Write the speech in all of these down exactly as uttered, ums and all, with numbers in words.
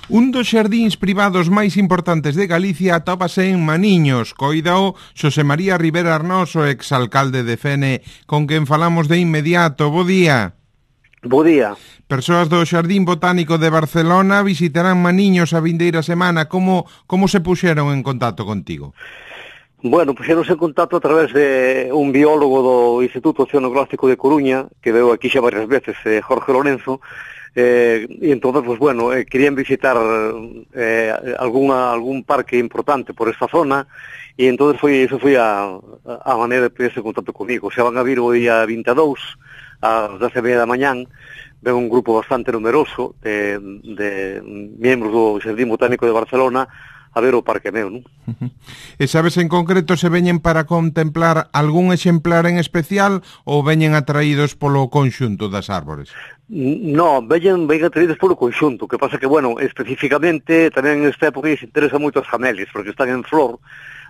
Un dos xardíns privados máis importantes de Galicia atópase en Maniños. Coídao Xosé María Rivera Arnoso, exalcalde de Fene, con quen falamos de inmediato. Bo día. Bo día. Persoas do Xardín Botánico de Barcelona visitarán Maniños a vindeira semana. Como, como se puxeron en contacto contigo? Bueno, puxeronse en contacto a través de un biólogo do Instituto Oceanográfico de Coruña, que veo aquí xa varias veces, eh, Jorge Lorenzo, eh, e entonces, pues bueno, eh, querían visitar eh, alguna, algún parque importante por esta zona, e entonces foi, eso foi a, a maneira de ponerse en contacto comigo. Se van a vir o día vinte e dous, ás dez e media da mañán, ven un grupo bastante numeroso de, de membros do Xardín Botánico de Barcelona a ver o parque meu, non? Uh-huh. E sabes en concreto se veñen para contemplar algún exemplar en especial ou veñen atraídos polo conxunto das árbores? No, veñen, veñen atraídos polo conxunto, que pasa que, bueno, especificamente tamén nesta época se interesa moito as camelias, porque están en flor,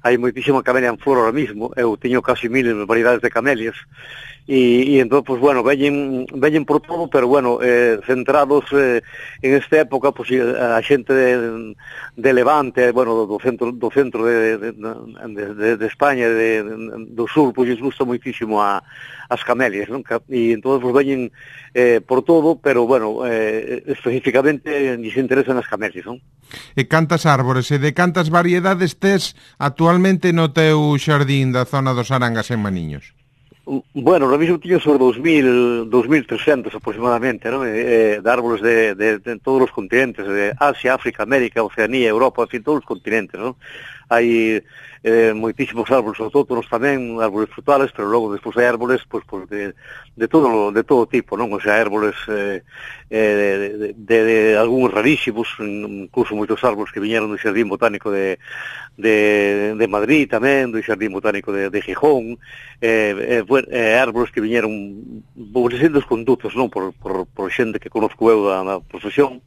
hai moitísima camelia en flor ahora mismo, eu teño casi mil variedades de camelias, e, e entón, pues bueno, veñen, veñen por todo, pero bueno, eh, centrados eh, en esta época, pues a xente de, de Levante, bueno, do centro, do centro de, de, de, de España, de, de, do sur, pues les gusta moitísimo a, as camelias, non? E entón, pues veñen eh, por todo, pero bueno, eh, especificamente lles interesan as camelias, non? E cantas árbores e de cantas variedades tes actualmente no teu xardín da zona dos Arangas en Maniños? Bueno, ahora mismo teño sobre dos mil trescentos aproximadamente, ¿no? Eh, de árboles de, de, de todos os continentes, de Asia, África, América, Oceanía, Europa, en fin, todos os continentes, ¿no? Hai eh, moitísimos árboles autóctonos tamén, árboles frutales, pero logo despois hai árboles pues, pues, de, de, todo, de todo tipo, non? O sea, árboles eh, eh, de, de, de algúns rarísimos, incluso moitos árboles que viñeron do Xardín Botánico de, de, de Madrid tamén, do Xardín Botánico de, de Gijón, eh, eh, eh, árboles que viñeron por distintos condutos, non? Por, por, por xente que conozco eu da, da profesión,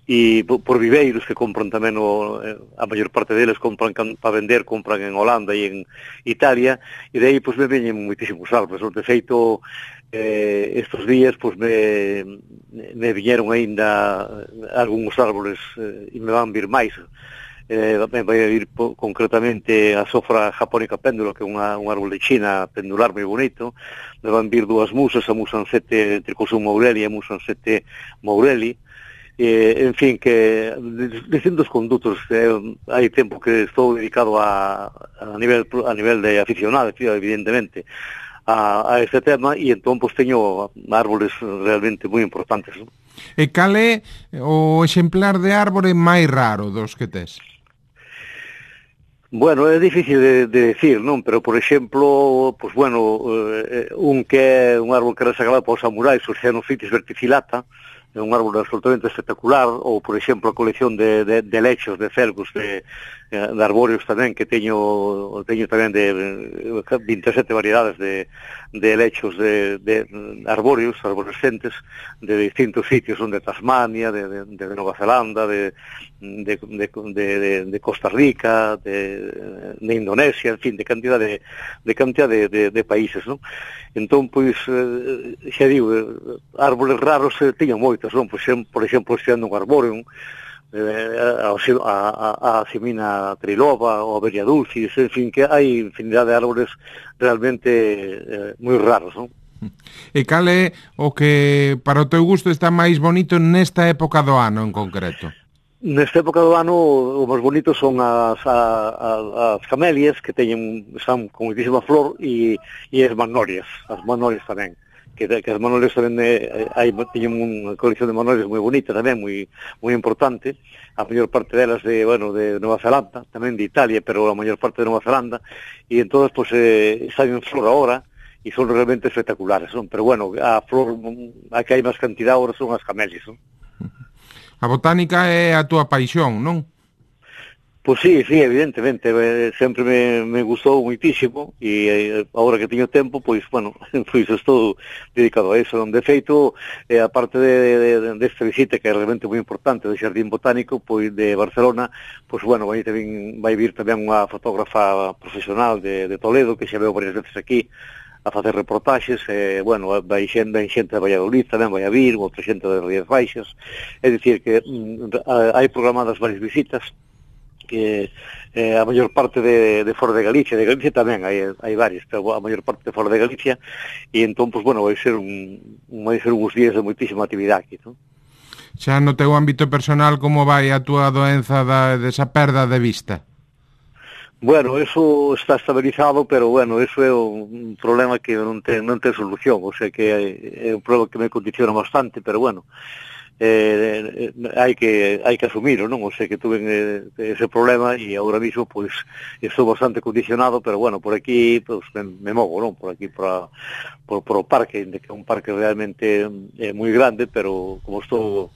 e por viveiros que compran tamén o, a maior parte deles compran para vender, compran en Holanda e en Italia, e de aí pois me veñen moitísimos árboles. De feito, eh, estos días pois me, me viñeron aínda algúns árboles eh, e me van vir máis. Eh, me vai a vir po, concretamente a sofra japónica péndula, que é unha, un árbol de China pendular moi bonito. Me van vir dúas musas, a Musansete Tricosum Moureli e a Musansete Moureli. Eh, en fin, que distintos condutos, eh, hai tempo que estou dedicado a, a nivel a nivel de aficionado, evidentemente, a, a este tema, e entón pues, teño árboles realmente moi importantes, ¿no? E cal é o exemplar de árbore máis raro dos que tes? Bueno, é difícil de, de decir, non? Pero, por exemplo, pues bueno, eh, un que é un árbol que era sagrado para os samurais, o Xenophytis verticillata, é un árbol absolutamente espectacular, ou, por exemplo, a colección de, de, de lechos, de felgos, de, de arbóreos tamén, que teño teño tamén de vinte e sete variedades de, de lechos de, de arbóreos, arborescentes, de distintos sitios, son de Tasmania, de, de, de Nova Zelanda, de, de, de, de, de Costa Rica, de, de Indonesia, en fin, de cantidad de, de, cantidad de, de, de países, non? Entón, pois, eh, xa digo, árboles raros eh, teño moitos, non? Por exemplo, por exemplo, este ano un arbóreo, eh, a, a, a Simina triloba, ou a Beria dulcis, en fin, que hai infinidade de árboles realmente eh, moi raros, non? E cal é o que, para o teu gusto, está máis bonito nesta época do ano en concreto? Nesta época do ano o máis bonito son as, a, a, as camelias, que teñen, están con moitísima flor, e, e as magnolias, as magnolias tamén, que, que as magnolias tamén eh, hai, teñen unha colección de magnolias moi bonita tamén, moi, moi importante, a maior parte delas de, bueno, de Nova Zelanda, tamén de Italia, pero a maior parte de Nova Zelanda, e entón, pues, eh, están en flor agora, e son realmente espectaculares, non? Pero bueno, a flor, a que hai máis cantidad agora son as camelias, non? A botánica é a túa paixón, non? Pois sí, sí, evidentemente, eh, sempre me, me gustou moitísimo, e eh, agora que teño tempo, pois, bueno, pois estou dedicado a eso. De feito, eh, a parte de, de, de esta visita, que é realmente moi importante, do Xardín Botánico, pois, de Barcelona, pois, bueno, vai, tamén, vai vir tamén unha fotógrafa profesional de, de Toledo, que xa veo varias veces aquí, a facer reportaxes, e, bueno, vai xente, vai xente de Valladolid tamén vai a vir, outra xente de Rías Baixas, é dicir que mm, hai programadas varias visitas, que eh, a maior parte de, de fora de Galicia, de Galicia tamén hai, hai varios, pero a maior parte de fora de Galicia, e entón, pues, bueno, vai ser un, vai ser uns días de moitísima actividade aquí, non? Xa no teu ámbito personal, como vai a túa doenza da, desa perda de vista? Bueno, eso está estabilizado, pero bueno, eso é un problema que non ten, non ten solución, o sea que é un problema que me condiciona bastante, pero bueno, eh, hai que hai que asumiro, non? O sea que tuve eh, ese problema e agora mismo pois pues, estou bastante condicionado, pero bueno, por aquí pues, me, me movo, non? Por aquí por, por, por o parque, que é un parque realmente eh, moi grande, pero como estou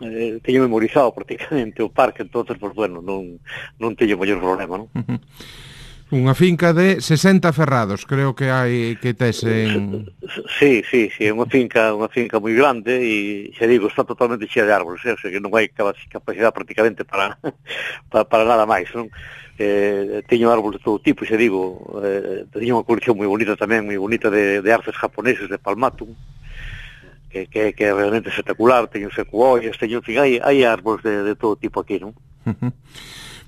eh, teño memorizado prácticamente o parque, entonces pues bueno, non non teño maior problema, non? Uh-huh. Unha finca de sesenta ferrados, creo que hai que tes en... Sí, sí, sí, é unha finca, unha finca moi grande e, xa digo, está totalmente chea de árboles, eh? O sea que non hai capacidade prácticamente para, para, para nada máis, non? Eh, teño árboles de todo tipo, xa digo, eh, teño unha colección moi bonita tamén, moi bonita de, de arces japoneses, de palmatum, que, que, que é realmente espectacular, teño secuoias, teño, en fin, hai, hai árboles de, de todo tipo aquí, non? Uh-huh.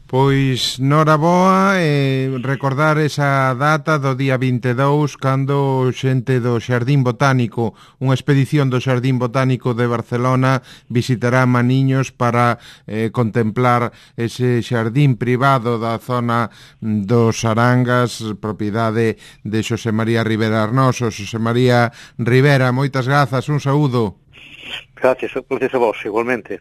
Pois, noraboa, eh, recordar esa data do día vinte e dous, cando xente do Xardín Botánico, unha expedición do Xardín Botánico de Barcelona, visitará Maniños para eh, contemplar ese xardín privado da zona dos Arangas, propiedade de Xosé María Rivera Arnoso. Xosé María Rivera, moitas grazas, un saúdo. Gracias, gracias a vos, igualmente.